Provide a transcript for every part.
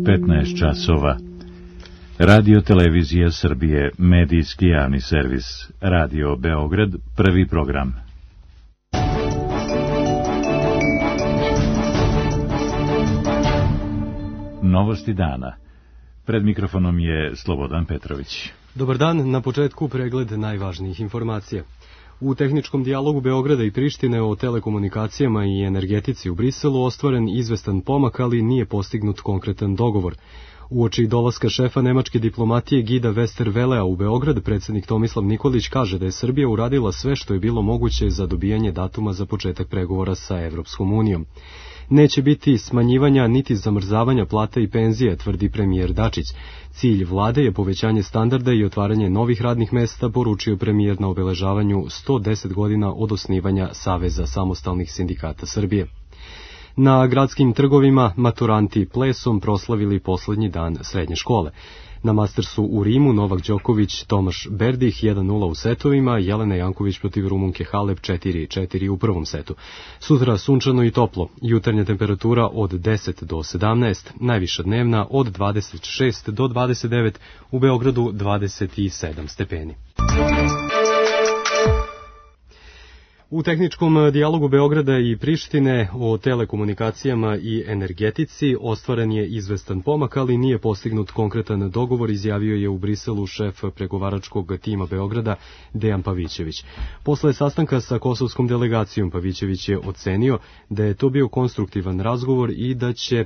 15 časova. Radio Televizija Srbije, medijski javni servis. Radio Beograd, prvi program. Novosti dana. Pred mikrofonom je Slobodan Petrović. Dobar dan, na početku pregled najvažnijih informacija. U tehničkom dijalogu Beograda i Prištine o telekomunikacijama i energetici u Briselu ostvaren izvestan pomak, ali nije postignut konkretan dogovor. Uoči dolaska šefa nemačke diplomatije Guida Westerwellea u Beograd, predsjednik Tomislav Nikolić kaže da je Srbija uradila sve što je bilo moguće za dobijanje datuma za početak pregovora sa Evropskom unijom. Neće biti smanjivanja niti zamrzavanja plata i penzija, tvrdi premijer Dačić. Cilj vlade je povećanje standarda i otvaranje novih radnih mesta, poručio premijer na obeležavanju 110 godina od osnivanja Saveza samostalnih sindikata Srbije. Na gradskim trgovima maturanti plesom proslavili poslednji dan srednje škole. Na Mastersu u Rimu Novak Đoković, Tomaš Berdih 1-0 u setovima, Jelena Janković protiv Rumunke Halep 4-4 u prvom setu. Sutra sunčano i toplo, jutarnja temperatura od 10 do 17, najviša dnevna od 26 do 29, u Beogradu 27 stepeni. U tehničkom dijalogu Beograda i Prištine o telekomunikacijama i energetici ostvaren je izvestan pomak, ali nije postignut konkretan dogovor, izjavio je u Briselu šef pregovaračkog tima Beograda Dejan Pavićević. Posle sastanka sa kosovskom delegacijom Pavićević je ocenio da je to bio konstruktivan razgovor i da će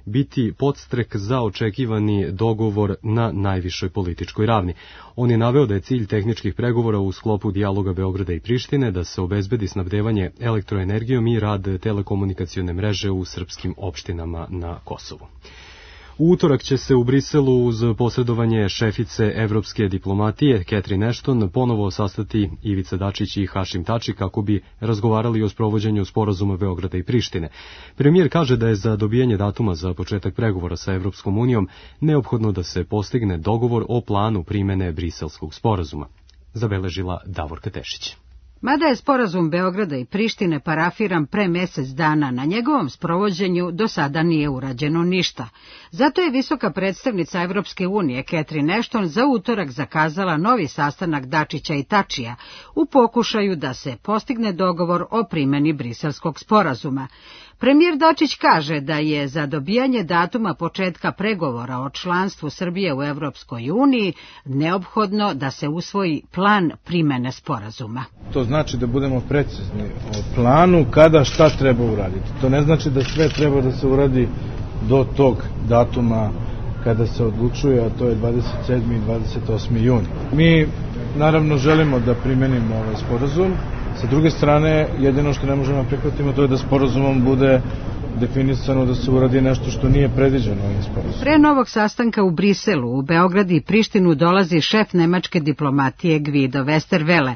biti podstrek za očekivani dogovor na najvišoj političkoj ravni. On je naveo da je cilj tehničkih pregovora u sklopu dijaloga Beograda i Prištine da se obezbedi snabdevanje elektroenergijom i rad telekomunikacione mreže u srpskim opštinama na Kosovu. U utorak će se u Briselu uz posredovanje šefice evropske diplomatije Catherine Ashton ponovo sastati Ivica Dačić i Hašim Tači kako bi razgovarali o sprovođenju sporazuma Beograda i Prištine. Premijer kaže da je za dobijanje datuma za početak pregovora sa Evropskom unijom neophodno da se postigne dogovor o planu primene Briselskog sporazuma. Zabeležila Davorka Tešić. Mada je sporazum Beograda i Prištine parafiran pre mesec dana, na njegovom sprovođenju do sada nije urađeno ništa. Zato je visoka predstavnica Evropske unije Catherine Ashton za utorak zakazala novi sastanak Dačića i Tačija u pokušaju da se postigne dogovor o primeni Briselskog sporazuma. Premijer Dačić kaže da je za dobijanje datuma početka pregovora o članstvu Srbije u Evropskoj uniji neophodno da se usvoji plan primene sporazuma. To znači da budemo precizni o planu kada šta treba uraditi. To ne znači da sve treba da se uradi do tog datuma kada se odlučuje, a to je 27. i 28. juni. Mi naravno želimo da primenimo ovaj sporazum. Sa druge strane, jedino što ne možemo prihvatiti to je da sporazumom bude definisano da se uradi nešto što nije predviđeno ovim sporazumom. Pre novog sastanka u Briselu, u Beograd i Prištinu dolazi šef nemačke diplomatije Guido Westerwelle.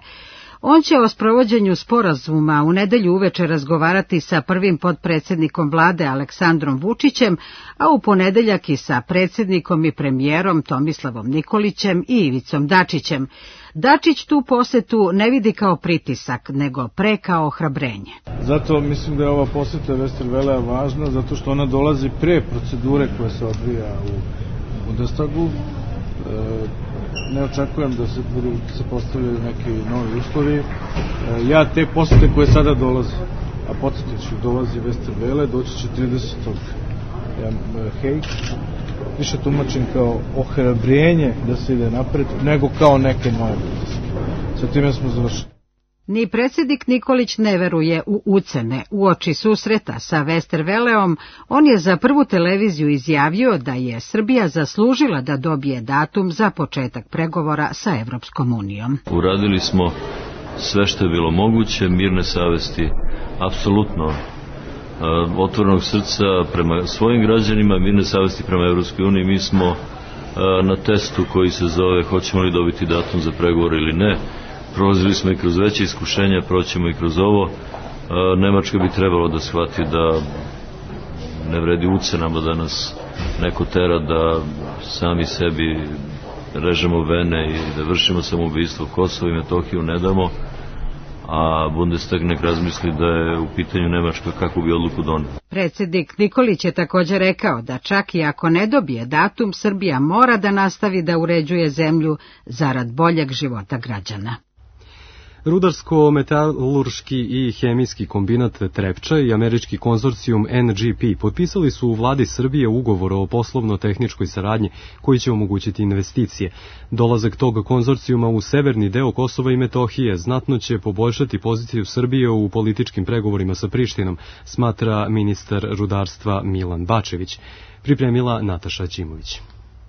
On će o sprovođenju sporazuma u nedelju uveče razgovarati sa prvim potpredsjednikom vlade Aleksandrom Vučićem, a u ponedeljak i sa predsjednikom i premijerom Tomislavom Nikolićem i Ivicom Dačićem. Dačić tu posetu ne vidi kao pritisak, nego pre kao ohrabrenje. Zato mislim da je ova poseta Westerwellea važna, zato što ona dolazi pre procedure koja se odvija u Bundestagu. Ne očekujem da se postavljaju neki novi uslovi. Ja te posete koje sada dolaze, a podsjetit ću, dolazi Westerwelle, doći će 30. Hague, više tumačim kao ohrabrenje da se ide napred, nego kao neke nove pritiske. Sa time smo završili. Ni predsjednik Nikolić ne veruje u ucene. Uoči susreta sa Westerwelleom, on je za Prvu televiziju izjavio da je Srbija zaslužila da dobije datum za početak pregovora sa Evropskom unijom. Uradili smo sve što je bilo moguće, mirne savesti, apsolutno otvorenog srca prema svojim građanima, mirne savesti prema Evropskoj uniji. Mi smo na testu koji se zove hoćemo li dobiti datum za pregovor ili ne. Prolazili smo i kroz veće iskušenja, proćemo i kroz ovo. Nemačka bi trebalo da shvati da ne vredi ucenama da nas neko tera da sami sebi režemo vene i da vršimo samoubistvo. Kosovo i Metohiju ne damo, a Bundestag nek razmisli da je u pitanju Nemačka kako bi odluku donio. Predsjednik Nikolić je također rekao da čak i ako ne dobije datum, Srbija mora da nastavi da uređuje zemlju zarad boljeg života građana. Rudarsko-metalurški i hemijski kombinat Trepča i američki konzorcijum NGP potpisali su u vladi Srbije ugovor o poslovno-tehničkoj saradnji koji će omogućiti investicije. Dolazak tog konzorcijuma u severni deo Kosova i Metohije znatno će poboljšati poziciju Srbije u političkim pregovorima sa Prištinom, smatra ministar rudarstva Milan Bačević. Pripremila Nataša Ćimović.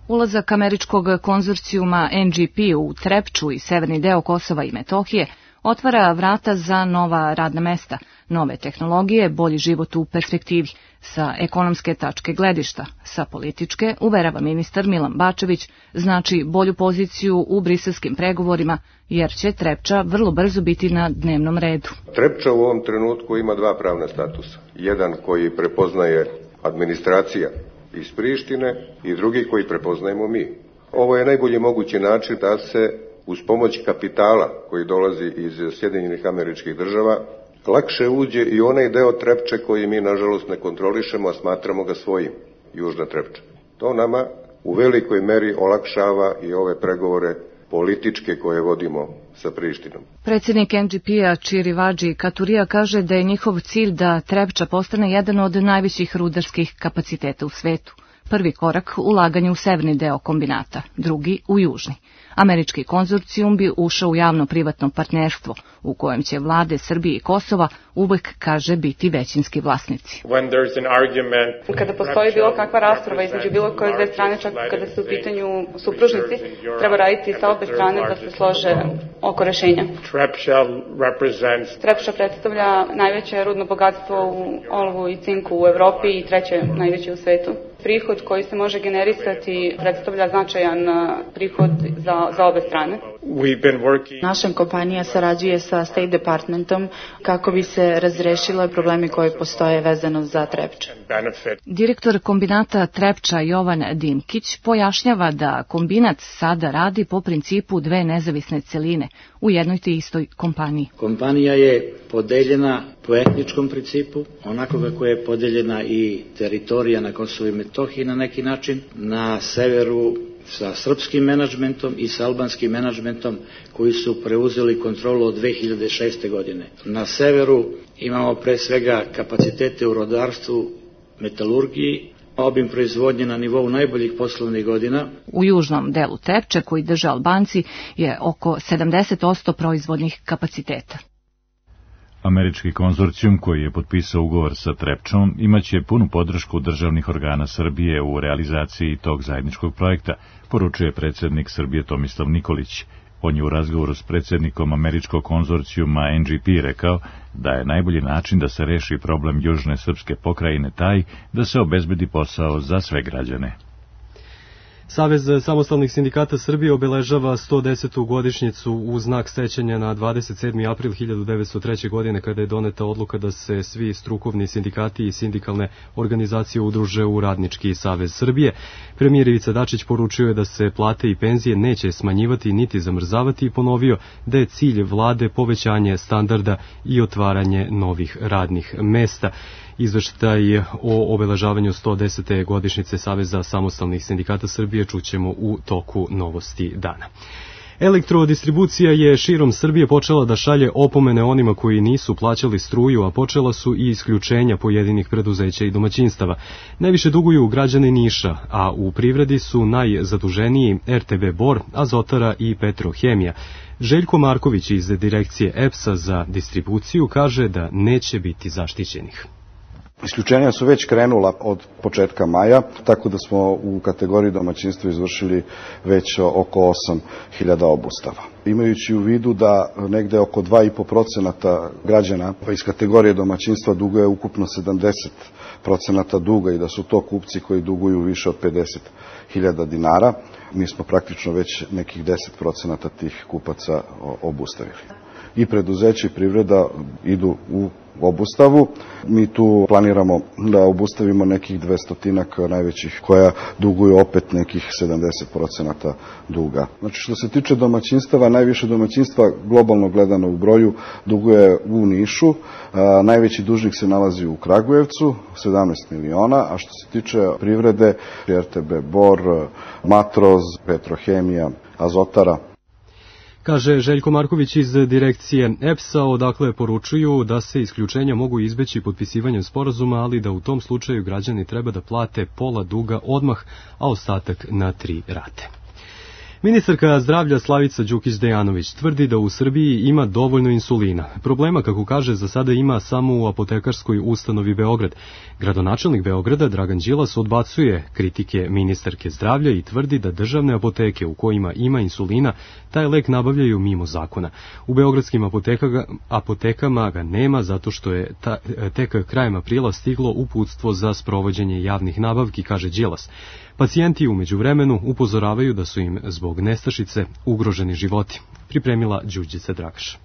Ulazak američkog konzorcijuma NGP u Trepču i severni deo Kosova i Metohije otvara vrata za nova radna mesta, nove tehnologije, bolji život u perspektivi, sa ekonomske tačke gledišta, sa političke, uverava ministar Milan Bačević, znači bolju poziciju u briselskim pregovorima, jer će Trepča vrlo brzo biti na dnevnom redu. Trepča u ovom trenutku ima dva pravna statusa. Jedan koji prepoznaje administracija iz Prištine i drugi koji prepoznajemo mi. Ovo je najbolji mogući način da se uz pomoć kapitala koji dolazi iz Sjedinjenih Američkih Država lakše uđe i onaj deo Trepče koji mi nažalost ne kontrolišemo, a smatramo ga svojim, južna Trepča. To nama u velikoj meri olakšava i ove pregovore političke koje vodimo sa Prištinom. Predsjednik NGP-a Čirivađi Katurija kaže da je njihov cilj da Trepča postane jedan od najvećih rudarskih kapaciteta u svetu. Prvi korak ulaganje u severni deo kombinata, drugi u južni. Američki konzorcijum bi ušao u javno-privatno partnerstvo, u kojem će vlade Srbije i Kosova uvek, kaže, biti većinski vlasnici. Kada postoji bilo kakva rasprava između bilo koje dve strane, čak kada su u pitanju supružnici, treba raditi sa obe strane da se slože oko rešenja. Trepča predstavlja najveće rudno bogatstvo u olovu i cinku u Evropi i treće najveće u svetu. Prihod koji se može generisati predstavlja značajan prihod za obe strane. Naša kompanija sarađuje sa State Departmentom kako bi se razrešile problemi koji postoje vezano za Trepču. Direktor kombinata Trepča Jovan Dimkić pojašnjava da kombinat sada radi po principu dve nezavisne celine u jednoj te istoj kompaniji. Kompanija je podeljena po etničkom principu, onako kako je podeljena i teritorija na Kosovu i Metohiji na neki način, na severu sa srpskim menadžmentom i sa albanskim menadžmentom koji su preuzeli kontrolu od 2006. godine. Na severu imamo pre svega kapacitete u rudarstvu, metalurgiji, obim proizvodnje na nivou najboljih poslovnih godina. U južnom delu Trepče, koji drže Albanci, je oko 70% proizvodnih kapaciteta. Američki konzorcijum koji je potpisao ugovor sa Trepčom imaće punu podršku državnih organa Srbije u realizaciji tog zajedničkog projekta, poručuje predsjednik Srbije Tomislav Nikolić. On je u razgovoru s predsjednikom američkog konzorcijuma NGP rekao da je najbolji način da se reši problem južne srpske pokrajine taj da se obezbedi posao za sve građane. Savez samostalnih sindikata Srbije obeležava 110. godišnjicu u znak sećanja na 27. april 1903. godine kada je doneta odluka da se svi strukovni sindikati i sindikalne organizacije udruže u Radnički savez Srbije. Premijer Ivica Dačić poručio je da se plate i penzije neće smanjivati niti zamrzavati i ponovio da je cilj vlade povećanje standarda i otvaranje novih radnih mesta. Izveštaj o obeležavanju 110. godišnjice Saveza samostalnih sindikata Srbije čućemo u toku novosti dana. Elektrodistribucija je širom Srbije počela da šalje opomene onima koji nisu plaćali struju, a počela su i isključenja pojedinih preduzeća i domaćinstava. Najviše duguju građani Niša, a u privredi su najzaduženiji RTB Bor, Azotara i Petrohemija. Željko Marković iz direkcije EPS-a za distribuciju kaže da neće biti zaštićenih. Isključenja su već krenula od početka maja, tako da smo u kategoriji domaćinstva izvršili već oko 8.000 obustava. Imajući u vidu da negde oko 2,5% građana iz kategorije domaćinstva duguje ukupno 70% duga i da su to kupci koji duguju više od 50.000 dinara, mi smo praktično već nekih 10% tih kupaca obustavili. I preduzeće i privreda idu u obustavu. Mi tu planiramo da obustavimo nekih 200 najvećih koja duguju opet nekih 70% duga. Znači što se tiče domaćinstava, najviše domaćinstva globalno gledano u broju duguje u Nišu, najveći dužnik se nalazi u Kragujevcu, 17 miliona, a što se tiče privrede, RTB Bor, Matroz, Petrohemija, Azotara. Kaže Željko Marković iz direkcije EPS-a, odakle poručuju da se isključenja mogu izbeći potpisivanjem sporazuma, ali da u tom slučaju građani treba da plate pola duga odmah, a ostatak na 3 rate. Ministarka zdravlja Slavica Đukić-Dejanović tvrdi da u Srbiji ima dovoljno insulina. Problema, kako kaže, za sada ima samo u apotekarskoj ustanovi Beograd. Gradonačelnik Beograda Dragan Đilas odbacuje kritike ministarke zdravlja i tvrdi da državne apoteke u kojima ima insulina taj lek nabavljaju mimo zakona. U beogradskim apotekama ga nema zato što je tek krajem aprila stiglo uputstvo za sprovođenje javnih nabavki, kaže Đilas. Pacijenti u međuvremenu upozoravaju da su im zbog nestašice ugroženi životi. Pripremila Đurđica Dragaš.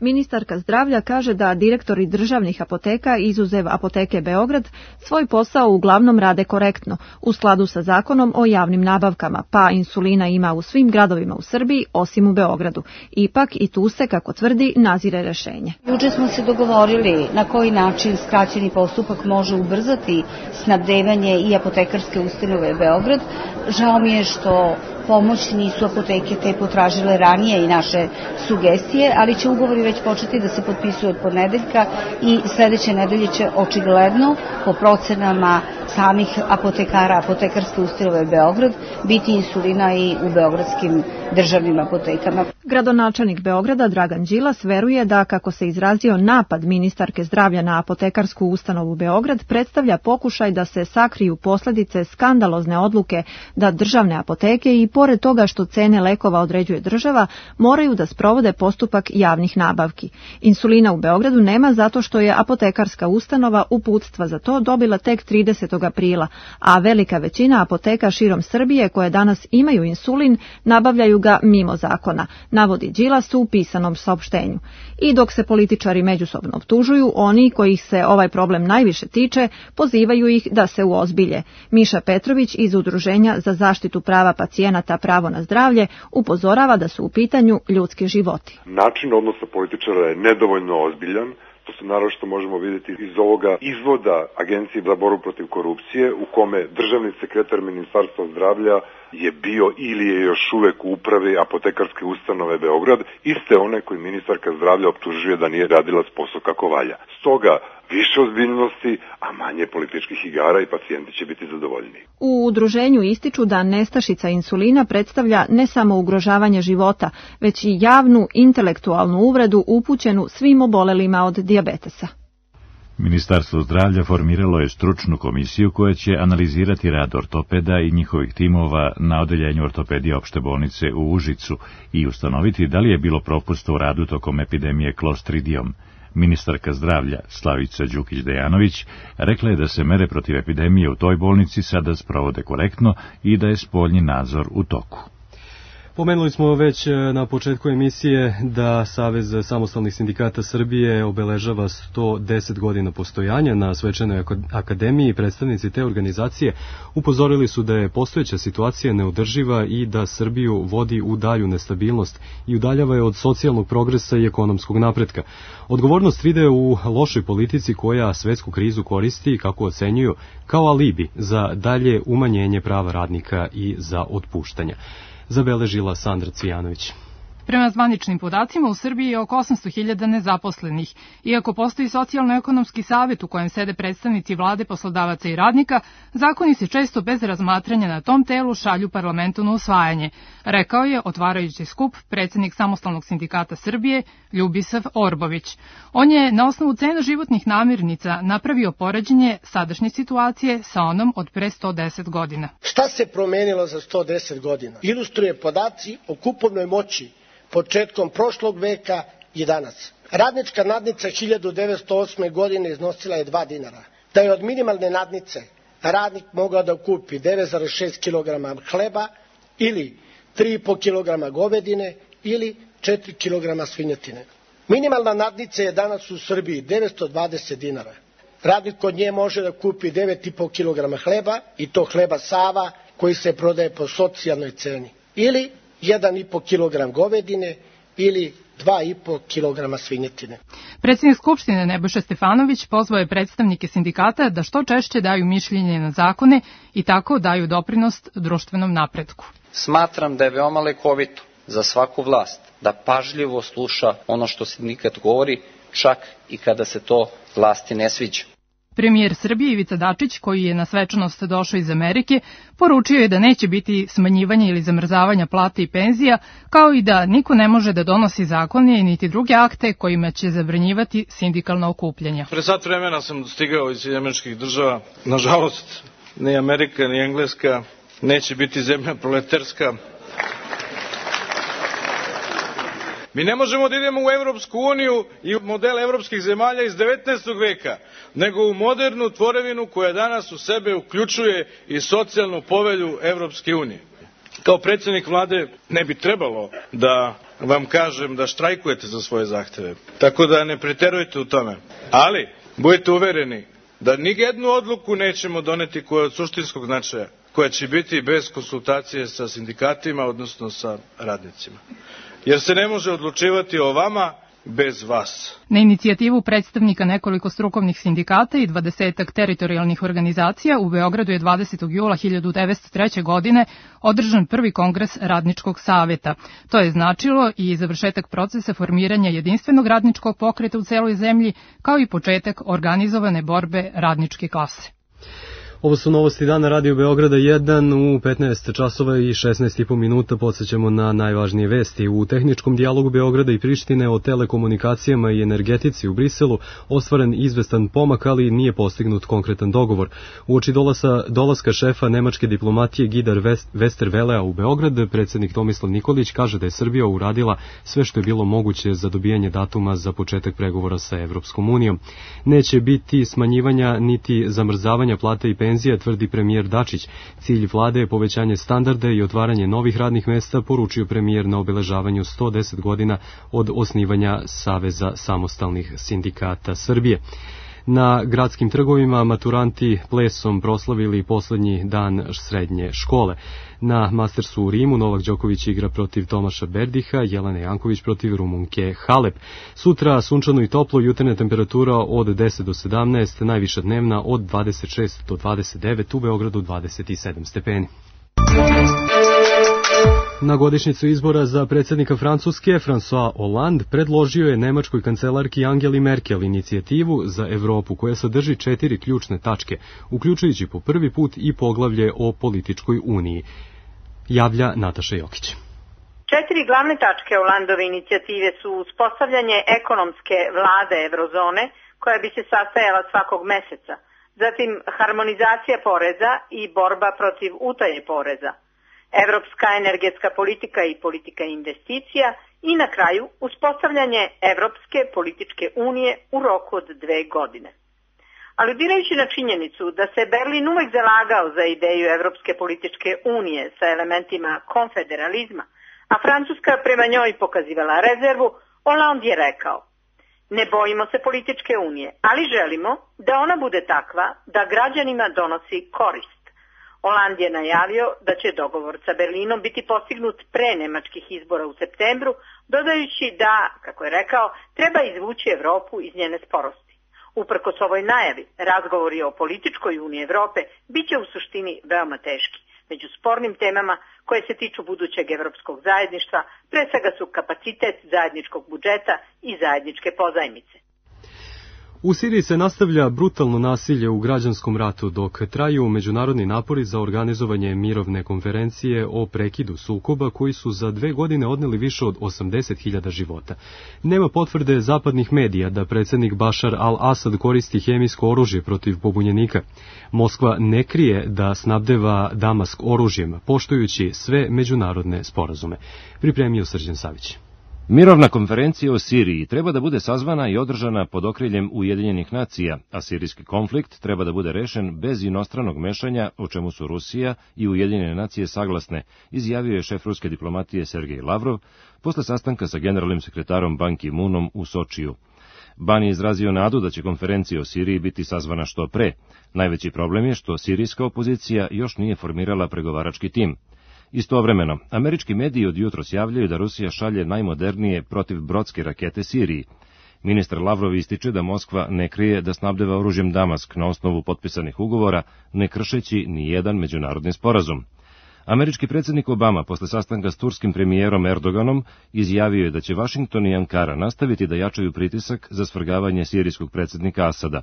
Ministarka zdravlja kaže da direktori državnih apoteka, izuzev apoteke Beograd, svoj posao uglavnom rade korektno, u skladu sa zakonom o javnim nabavkama, pa insulina ima u svim gradovima u Srbiji, osim u Beogradu. Ipak i tu se, kako tvrdi, nazire rešenje. Juče smo se dogovorili na koji način skraćeni postupak može ubrzati snabdevanje i apotekarske ustanove Beograd. Žao mi je što pomoć nisu apoteke te potražile ranije i naše sugestije, ali će ugovori već početi da se potpisuju od ponedeljka i sledeće nedelje će očigledno po procenama samih apotekara, apotekarske ustanove Beograd, biti insulina i u beogradskim državnim apotekama. Gradonačelnik Beograda Dragan Đilas veruje da, kako se izrazio, napad ministarke zdravlja na apotekarsku ustanovu Beograd predstavlja pokušaj da se sakriju posledice skandalozne odluke da državne apoteke i pored toga što cene lekova određuje država, moraju da sprovode postupak javnih nabavki. Insulina u Beogradu nema zato što je apotekarska ustanova uputstva za to dobila tek 30. aprila, a velika većina apoteka širom Srbije koje danas imaju insulin nabavljaju ga mimo zakona, navodi Đilas u pisanom saopštenju. I dok se političari međusobno optužuju, oni kojih se ovaj problem najviše tiče, pozivaju ih da se uozbilje. Miša Petrović iz Udruženja za zaštitu prava pacijenata Pravo na zdravlje upozorava da su u pitanju ljudski životi. Način odnosa političara je nedovoljno ozbiljan. To se naročito možemo vidjeti iz ovoga izvoda Agencije za borbu protiv korupcije, u kome državni sekretar Ministarstva zdravlja je bio ili je još uvek u upravi apotekarske ustanove Beograd, iste one koji ministarka zdravlja optužuje da nije radila posao kako valja. Stoga, više ozbiljnosti, a manje političkih igara i pacijenti će biti zadovoljni. U udruženju ističu da nestašica insulina predstavlja ne samo ugrožavanje života, već i javnu intelektualnu uvredu upućenu svim obolelima od dijabetesa. Ministarstvo zdravlja formiralo je stručnu komisiju koja će analizirati rad ortopeda i njihovih timova na odeljenju ortopedije opšte bolnice u Užicu i ustanoviti da li je bilo propusta u radu tokom epidemije Clostridijom. Ministarka zdravlja Slavica Đukić-Dejanović rekla je da se mere protiv epidemije u toj bolnici sada sprovode korektno i da je spoljni nadzor u toku. Pomenuli smo već na početku emisije da Savez samostalnih sindikata Srbije obeležava 110 godina postojanja. Na svečanoj akademiji predstavnici te organizacije upozorili su da je postojeća situacija neodrživa i da Srbiju vodi u dalju nestabilnost i udaljava je od socijalnog progresa i ekonomskog napretka. Odgovornost vide u lošoj politici koja svetsku krizu koristi, kako ocenjuju, kao alibi za dalje umanjenje prava radnika i za otpuštanja. Zabeležila Sandra Cvijanović. Prema zvaničnim podacima, u Srbiji je oko 800.000 nezaposlenih. Iako postoji socijalno-ekonomski savet u kojem sede predstavnici vlade, poslodavaca i radnika, zakoni se često bez razmatranja na tom telu šalju parlamentu na usvajanje, rekao je, otvarajući skup, predsjednik Samostalnog sindikata Srbije, Ljubisav Orbović. On je na osnovu cena životnih namirnica napravio poređenje sadašnje situacije sa onom od pre 110 godina. Šta se promenilo za 110 godina? Ilustruje podaci o kupovnoj moći početkom prošlog veka i danas. Radnička nadnica 1908. godine iznosila je 2 dinara. Da je od minimalne nadnice radnik mogao da kupi 9,6 kg hleba ili 3,5 kg govedine ili 4 kg svinjetine. Minimalna nadnica je danas u Srbiji 920 dinara. Radnik kod nje može da kupi 9,5 kg hleba, i to hleba Sava koji se prodaje po socijalnoj ceni. Ili 1,5 kg govedine ili 2,5 kg svinjetine. Predsjednik Skupštine Nebojša Stefanović pozvao je predstavnike sindikata da što češće daju mišljenje na zakone i tako daju doprinos društvenom napretku. Smatram da je veoma lekovito za svaku vlast da pažljivo sluša ono što sindikat govori, čak i kada se to vlasti ne sviđa. Premijer Srbije Ivica Dačić, koji je na svečanost došao iz Amerike, poručio je da neće biti smanjivanja ili zamrzavanja plata i penzija, kao i da niko ne može da donosi zakone niti druge akte kojima će zabranjivati sindikalna okupljanja. Pre sat vremena sam stigao iz Američkih država. Nažalost, ni Amerika ni Engleska neće biti zemlja proletarska. Mi ne možemo da idemo u Evropsku uniju i u model evropskih zemalja iz 19. veka, nego u modernu tvorevinu koja danas u sebe uključuje i socijalnu povelju Evropske unije. Kao predsjednik vlade ne bi trebalo da vam kažem da štrajkujete za svoje zahteve, tako da ne preterujte u tome. Ali, budite uvereni da nijednu odluku nećemo doneti koja je od suštinskog značaja, koja će biti bez konsultacije sa sindikatima, odnosno sa radnicima. Jer se ne može odlučivati o vama bez vas. Na inicijativu predstavnika nekoliko strukovnih sindikata i 20 teritorijalnih organizacija u Beogradu je 20. jula 1903. godine održan prvi kongres Radničkog saveta. To je značilo i završetak procesa formiranja jedinstvenog radničkog pokreta u celoj zemlji, kao i početak organizovane borbe radničke klase. Ovo su novosti dana Radio Beograda 1 u 15 časova i 16,5 minuta. Podsjećamo na najvažnije vesti. U tehničkom dijalogu Beograda i Prištine o telekomunikacijama i energetici u Briselu ostvaren izvestan pomak, ali nije postignut konkretan dogovor. Uoči dolaska šefa nemačke diplomatije Gidar Westervelea u Beograd, predsjednik Tomislav Nikolić kaže da je Srbija uradila sve što je bilo moguće za dobijanje datuma za početak pregovora sa Evropskom unijom. Neće biti smanjivanja niti zamrzavanja plata i penzija, tvrdi premijer Dačić. Cilj vlade je povećanje standarda i otvaranje novih radnih mesta, poručio premijer na obeležavanju 110 godina od osnivanja Saveza samostalnih sindikata Srbije. Na gradskim trgovima maturanti plesom proslavili poslednji dan srednje škole. Na Mastersu u Rimu Novak Đoković igra protiv Tomaša Berdiha, Jelena Janković protiv Rumunke Halep. Sutra sunčano i toplo, jutarnja temperatura od 10 do 17, najviša dnevna od 26 do 29, u Beogradu 27 stepeni. Na godišnjicu izbora za predsjednika Francuske, François Hollande predložio je nemačkoj kancelarki Angeli Merkel inicijativu za Evropu koja sadrži 4 ključne tačke, uključujući po prvi put i poglavlje o političkoj uniji. Javlja Nataša Jokić. 4 glavne tačke Hollandove inicijative su uspostavljanje ekonomske vlade Eurozone koja bi se sastajala svakog meseca, zatim harmonizacija poreza i borba protiv utaje poreza, evropska energetska politika i politika investicija i na kraju uspostavljanje Evropske političke unije u roku od 2 godine. Aludirajući na činjenicu da se Berlin uvek zalagao za ideju Evropske političke unije sa elementima konfederalizma, a Francuska prema njoj pokazivala rezervu, Hollande je rekao: ne bojimo se političke unije, ali želimo da ona bude takva da građanima donosi korist. Hollande je najavio da će dogovor sa Berlinom biti postignut pre nemačkih izbora u septembru, dodajući da, kako je rekao, treba izvući Evropu iz njene sporosti. Uprkos ovoj najavi, razgovori o političkoj uniji Evrope biće u suštini veoma teški. Među spornim temama koje se tiču budućeg evropskog zajedništva pre svega su kapacitet zajedničkog budžeta i zajedničke pozajmice. U Siriji se nastavlja brutalno nasilje u građanskom ratu dok traju međunarodni napori za organizovanje mirovne konferencije o prekidu sukoba koji su za 2 godine odneli više od 80.000 života. Nema potvrde zapadnih medija da predsjednik Bašar al-Asad koristi hemijsko oružje protiv pobunjenika. Moskva ne krije da snabdeva Damask oružjem, poštujući sve međunarodne sporazume. Pripremio Srđan Savić. Mirovna konferencija o Siriji treba da bude sazvana i održana pod okriljem Ujedinjenih nacija, a sirijski konflikt treba da bude rešen bez inostranog mešanja, o čemu su Rusija i Ujedinjene nacije saglasne, izjavio je šef ruske diplomatije Sergej Lavrov posle sastanka sa generalnim sekretarom Ban Ki-moonom u Sočiju. Ban je izrazio nadu da će konferencija o Siriji biti sazvana što pre. Najveći problem je što sirijska opozicija još nije formirala pregovarački tim. Istovremeno, američki mediji od jutros javljaju da Rusija šalje najmodernije protivbrodske rakete Siriji. Ministar Lavrov ističe da Moskva ne krije da snabdeva oružjem Damask na osnovu potpisanih ugovora, ne kršeći ni jedan međunarodni sporazum. Američki predsjednik Obama posle sastanka s turskim premijerom Erdoganom izjavio je da će Vašington i Ankara nastaviti da jačaju pritisak za svrgavanje sirijskog predsjednika Asada.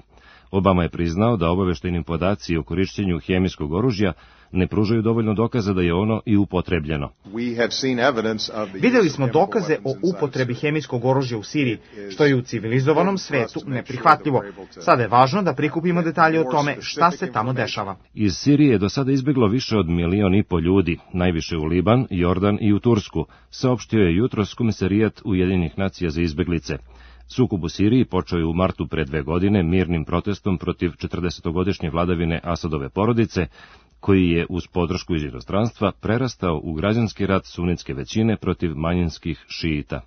Obama je priznao da obaveštajni podaci o korišćenju hemijskog oružja ne pružaju dovoljno dokaza da je ono i upotrebljeno. Videli smo dokaze o upotrebi hemijskog oružja u Siriji, što je u civilizovanom svetu neprihvatljivo. Sada je važno da prikupimo detalje o tome šta se tamo dešava. Iz Sirije je do sada izbeglo više od 1,5 miliona ljudi, najviše u Liban, Jordan i u Tursku, saopštio je jutros Komesarijat Ujedinjenih nacija za izbeglice. Sukob u Siriji počeo je u martu pre 2 godine mirnim protestom protiv 40-godišnje vladavine Asadove porodice, koji je uz podršku iz inostranstva prerastao u građanski rat sunitske većine protiv manjinskih šiita.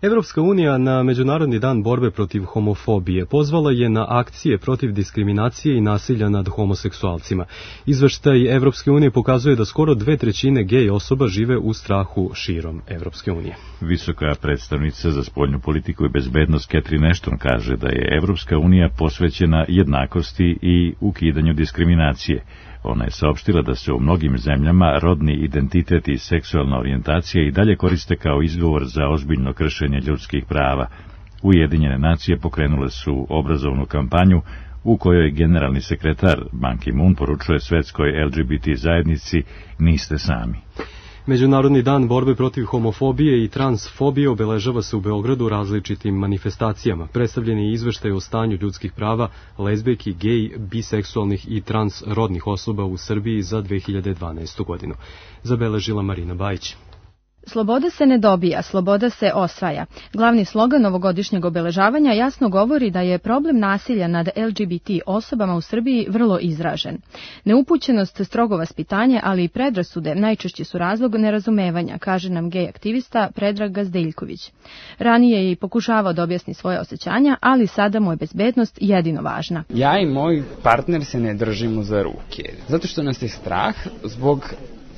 Evropska unija na Međunarodni dan borbe protiv homofobije pozvala je na akcije protiv diskriminacije i nasilja nad homoseksualcima. Izveštaj Evropske unije pokazuje da skoro 2/3 gej osoba žive u strahu širom Evropske unije. Visoka predstavnica za spoljnu politiku i bezbednost Catherine Ashton kaže da je Evropska unija posvećena jednakosti i ukidanju diskriminacije. Ona je saopštila da se u mnogim zemljama rodni identitet i seksualna orijentacija i dalje koriste kao izgovor za ozbiljno kršenje ljudskih prava. Ujedinjene nacije pokrenule su obrazovnu kampanju u kojoj generalni sekretar Ban Ki-moon poručuje svetskoj LGBT zajednici: niste sami. Međunarodni dan borbe protiv homofobije i transfobije obeležava se u Beogradu različitim manifestacijama. Predstavljen je izveštaj o stanju ljudskih prava lezbijki, gej, biseksualnih i transrodnih osoba u Srbiji za 2012. godinu. Zabeležila Marina Bajić. Sloboda se ne dobija, sloboda se osvaja. Glavni slogan ovogodišnjeg obeležavanja jasno govori da je problem nasilja nad LGBT osobama u Srbiji vrlo izražen. Neupućenost, strogo vaspitanje, ali i predrasude najčešće su razlog nerazumevanja, kaže nam gej aktivista Predrag Gazdeljković. Ranije je i pokušavao da objasni svoje osjećanja, ali sada mu je bezbednost jedino važna. Ja i moj partner se ne držimo za ruke, zato što nas je strah zbog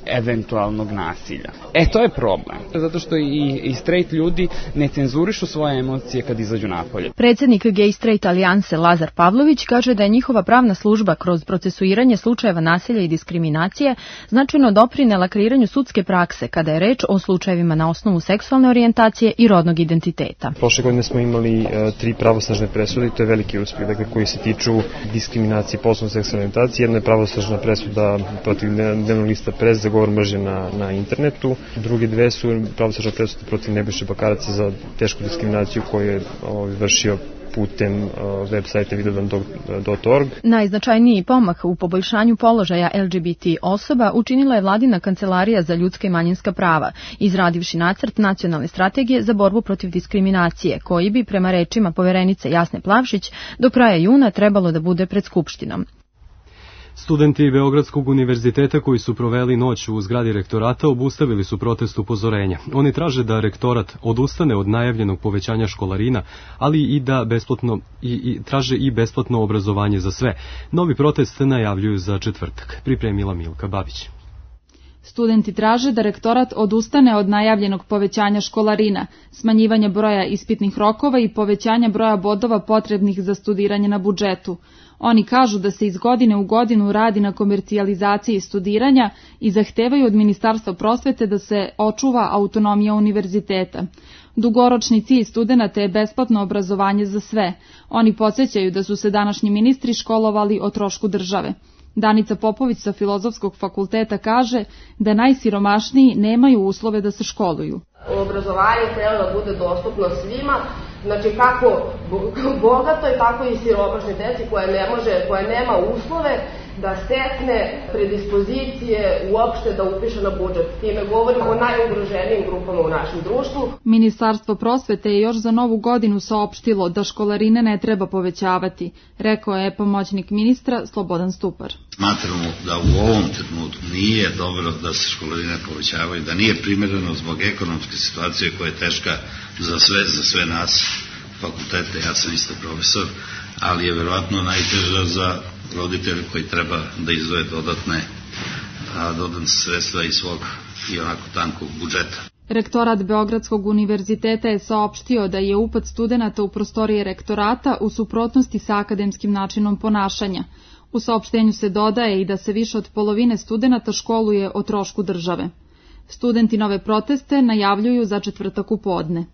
eventualnog nasilja. To je problem, zato što i straight ljudi ne cenzurišu svoje emocije kad izađu napolje. Predsjednik Gay Straight Alijanse Lazar Pavlović kaže da je njihova pravna služba kroz procesuiranje slučajeva nasilja i diskriminacije značajno doprinela kreiranju sudske prakse kada je reč o slučajevima na osnovu seksualne orijentacije i rodnog identiteta. Prošle godine smo imali 3 pravosnažne presude i to je veliki uspjeh, koji se tiču diskriminacije po osnovu seksualne orijentacije. Jedna je pravosnažna presuda protiv dnevnog lista Press za govor mržnje na internetu. Druge 2 su pravosnažne presude protiv Nebojše Bakaraca za tešku diskriminaciju koju je vršio putem web sajta videodan.org. Najznačajniji pomak u poboljšanju položaja LGBT osoba učinila je Vladina kancelarija za ljudska i manjinska prava, izradivši nacrt nacionalne strategije za borbu protiv diskriminacije, koji bi, prema rečima poverenice Jasne Plavšić, do kraja juna trebalo da bude pred Skupštinom. Studenti Beogradskog univerziteta koji su proveli noć u zgradi rektorata obustavili su protest upozorenja. Oni traže da rektorat odustane od najavljenog povećanja školarina, ali i da traže i besplatno obrazovanje za sve. Novi protest najavljuju za četvrtak. Pripremila Milka Babić. Studenti traže da rektorat odustane od najavljenog povećanja školarina, smanjivanja broja ispitnih rokova i povećanja broja bodova potrebnih za studiranje na budžetu. Oni kažu da se iz godine u godinu radi na komercijalizaciji studiranja i zahtevaju od Ministarstva prosvete da se očuva autonomija univerziteta. Dugoročni cilj studenata je besplatno obrazovanje za sve. Oni podsjećaju da su se današnji ministri školovali o trošku države. Danica Popović sa Filozofskog fakulteta kaže da najsiromašniji nemaju uslove da se školuju. Obrazovanje treba da bude dostupno svima, znači kako bogatoj, tako i siromašnoj deci koja nema uslove da stekne predispozicije uopšte da upiše na budžet. Time govorimo o najugroženijim grupama u našem društvu. Ministarstvo prosvete je još za novu godinu saopštilo da školarine ne treba povećavati, rekao je pomoćnik ministra Slobodan Stupar. Smatramo da u ovom trenutku nije dobro da se školarine povećavaju, da nije primereno zbog ekonomske situacije koja je teška za sve nas fakultete, ja sam isto profesor, ali je verovatno najteža za roditelje koji treba da izdvoje dodatne sredstva iz svog i onako tankog budžeta. Rektorat Beogradskog univerziteta je saopštio da je upad studenata u prostorije rektorata u suprotnosti sa akademskim načinom ponašanja. U saopštenju se dodaje i da se više od polovine studenata školuje o trošku države. Studenti nove proteste najavljuju za četvrtak u podne.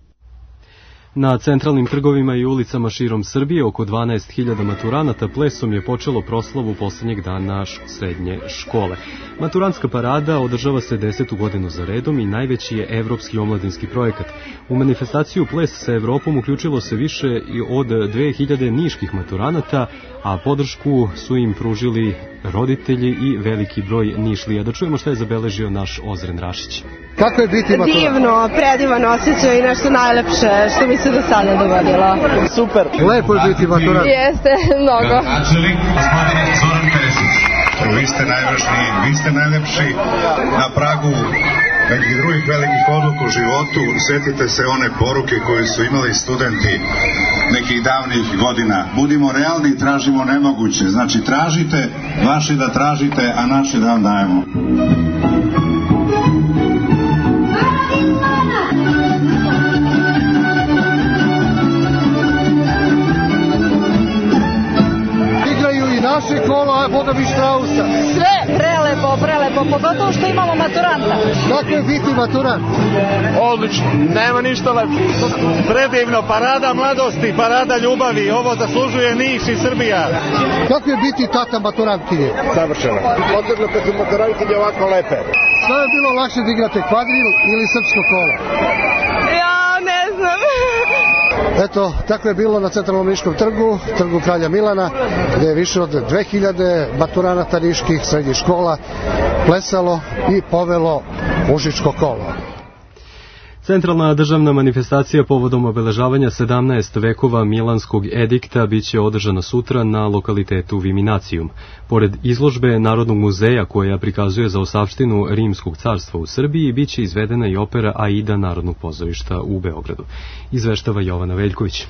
Na centralnim trgovima i ulicama širom Srbije oko 12.000 maturanata plesom je počelo proslavu poslednjeg dana srednje škole. Maturantska parada održava se 10. godinu za redom i najveći je evropski omladinski projekat. U manifestaciju Ples sa Evropom uključilo se više od 2000 niških maturanata, a podršku su im pružili roditelji i veliki broj Nišlija. Da čujemo šta je zabeležio naš Ozren Rašić. Kako je biti maturant? Divno, predivan osjećaj i nešto najlepše što mi se do sada dogodilo. Super. Lepo je biti maturant. Jeste, mnogo. Načelnik, gospodin Zoran Peresić. Vi ste najvažniji, vi ste najlepši na pragu nekih drugih velikih odluka u životu. Sjetite se one poruke koje su imali studenti nekih davnih godina. Budimo realni i tražimo nemoguće. Znači tražite, vaši da tražite, a naši da vam dajemo. Naše kolo, a Boga mi Štrausa. Sve prelepo, pogotovo što imamo maturanta. Kako je biti maturant? Odlično, nema ništa lepše. Predivno, parada mladosti, parada ljubavi, ovo zaslužuje Niš i Srbija. Kako je biti tata maturantkinje? Savršeno. Posebno kad su maturantkinje ovako lepe. Što je bilo lakše da igrate, kvadril ili srpsko kolo? Ja ne znam. Eto, tako je bilo na Centralnom Niškom trgu, trgu Kralja Milana, gde je više od 2000 maturanata niških srednjih škola plesalo i povelo Užičko kolo. Centralna državna manifestacija povodom obeležavanja 17 vekova Milanskog edikta biće održana sutra na lokalitetu Viminacijum. Pored izložbe Narodnog muzeja koja prikazuje zaostavštinu Rimskog carstva u Srbiji, biće izvedena i opera Aida Narodnog pozorišta u Beogradu. Izveštava Jovana Veljković.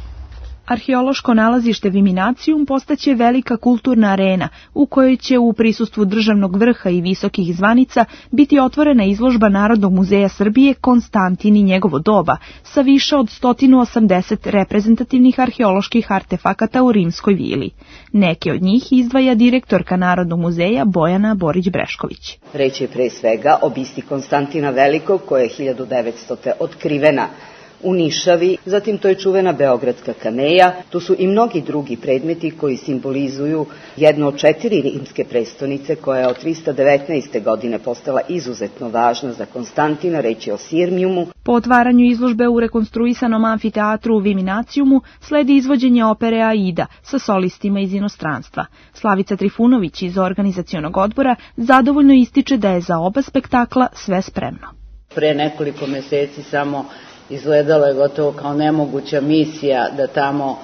Arheološko nalazište Viminacijum postaće velika kulturna arena u kojoj će u prisustvu državnog vrha i visokih zvanica biti otvorena izložba Narodnog muzeja Srbije Konstantin i njegovo doba sa više od 180 reprezentativnih arheoloških artefakata u Rimskoj vili. Neke od njih izdvaja direktorka Narodnog muzeja Bojana Borić-Brešković. Reč je pre svega o bisti Konstantina Velikog koja je 1900. otkrivena u Nišavi, zatim to je čuvena Beogradska kameja, tu su i mnogi drugi predmeti koji simbolizuju jednu od 4 rimske prestonice koja je od 319. godine postala izuzetno važna za Konstantina, reč je o Sirmijumu. Po otvaranju izložbe u rekonstruisanom amfiteatru u Viminacijumu sledi izvođenje opere Aida sa solistima iz inostranstva. Slavica Trifunović iz organizacionog odbora zadovoljno ističe da je za oba spektakla sve spremno. Pre nekoliko meseci samo izgledalo je gotovo kao nemoguća misija da tamo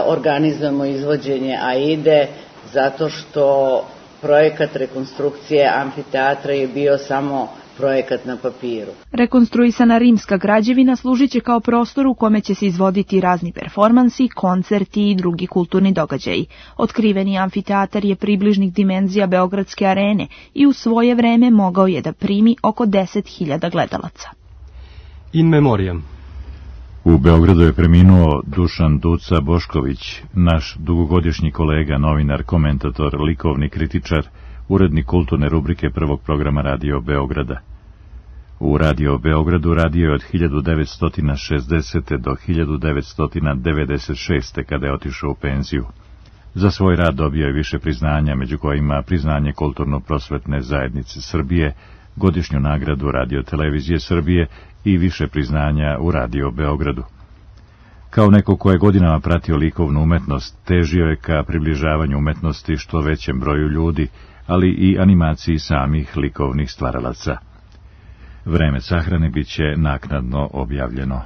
organizujemo izvođenje Aide, zato što projekat rekonstrukcije amfiteatra je bio samo projekat na papiru. Rekonstruisana rimska građevina služiće kao prostor u kome će se izvoditi razni performansi, koncerti i drugi kulturni događaji. Otkriveni amfiteatar je približnih dimenzija Beogradske arene i u svoje vreme mogao je da primi oko 10.000 gledalaca. In memoriam. U Beogradu je preminuo Dušan Duca Bošković, naš dugogodišnji kolega, novinar, komentator, likovni kritičar, urednik kulturne rubrike prvog programa Radio Beograda. U Radio Beogradu radio je od 1960. do 1996. kada je otišao u penziju. Za svoj rad dobio je više priznanja, među kojima priznanje Kulturno-prosvetne zajednice Srbije, godišnju nagradu Radio Televizije Srbije i više priznanja u Radio Beogradu. Kao neko ko je godinama pratio likovnu umetnost, težio je ka približavanju umetnosti što većem broju ljudi, ali i animaciji samih likovnih stvaralaca. Vreme sahrane biće naknadno objavljeno.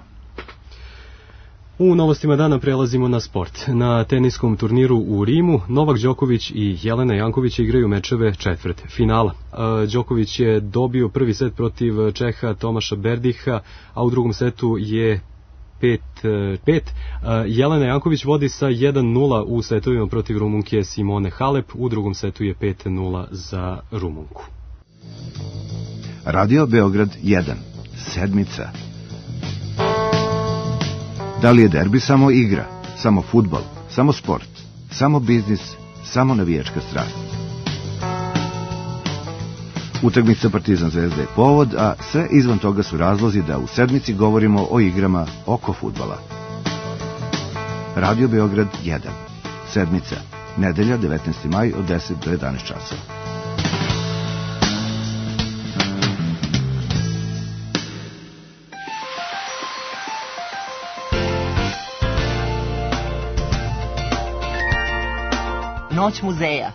U novostima dana prelazimo na sport. Na teniskom turniru u Rimu Novak Đoković i Jelena Janković igraju mečeve četvrt finala. Đoković je dobio prvi set protiv Čeha Tomaša Berdiha, a u drugom setu je 5-5. Jelena Janković vodi sa 1-0 u setovima protiv Rumunke Simone Halep, u drugom setu je 5-0 za Rumunku. Radio Beograd 1. Sedmica. Da li je derbi samo igra, samo fudbal, samo sport, samo biznis, samo navijačka strast? Utakmica Partizan Zvezda je povod, a sve izvan toga su razlozi da u sedmici govorimo o igrama oko fudbala. Radio Beograd 1. Sedmica. Nedelja, 19. maj od 10 do 11 časova. Noć muzeja.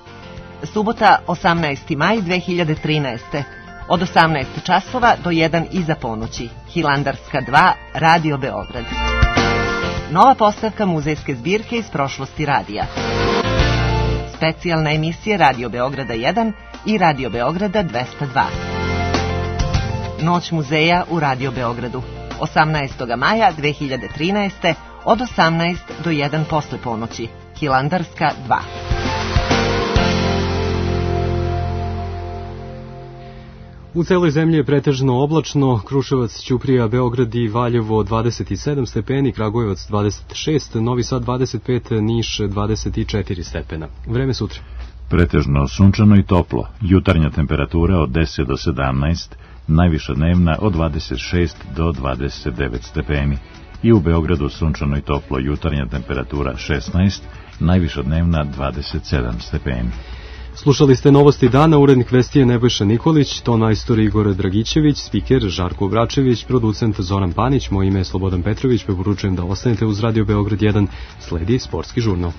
Subota, 18. maj 2013. Od 18 časova do 1 iza ponoći. Hilandarska 2, Radio Beograd. Nova postavka muzejske zbirke iz prošlosti radija. Specijalna emisija Radio Beograda 1 i Radio Beograda 202. Noć muzeja u Radio Beogradu. 18. maja 2013. od 18 do 1 posle ponoći. Hilandarska 2. U celoj zemlji je pretežno oblačno, Kruševac, Ćuprija, Beograd i Valjevo 27 stepeni, Kragujevac 26, Novi Sad 25, Niš 24 stepena. Vreme sutra. Pretežno sunčano i toplo, jutarnja temperatura od 10 do 17, najviša dnevna od 26 do 29 stepeni. I u Beogradu sunčano i toplo, jutarnja temperatura 16, najviša dnevna 27 stepeni. Slušali ste novosti dana, urednik vesti je Nebojša Nikolić, ton majstor Igor Dragićević, spiker Žarko Vračević, producent Zoran Panić, moje ime je Slobodan Petrović, preporučujem da ostanete uz Radio Beograd 1, sledi sportski žurnal.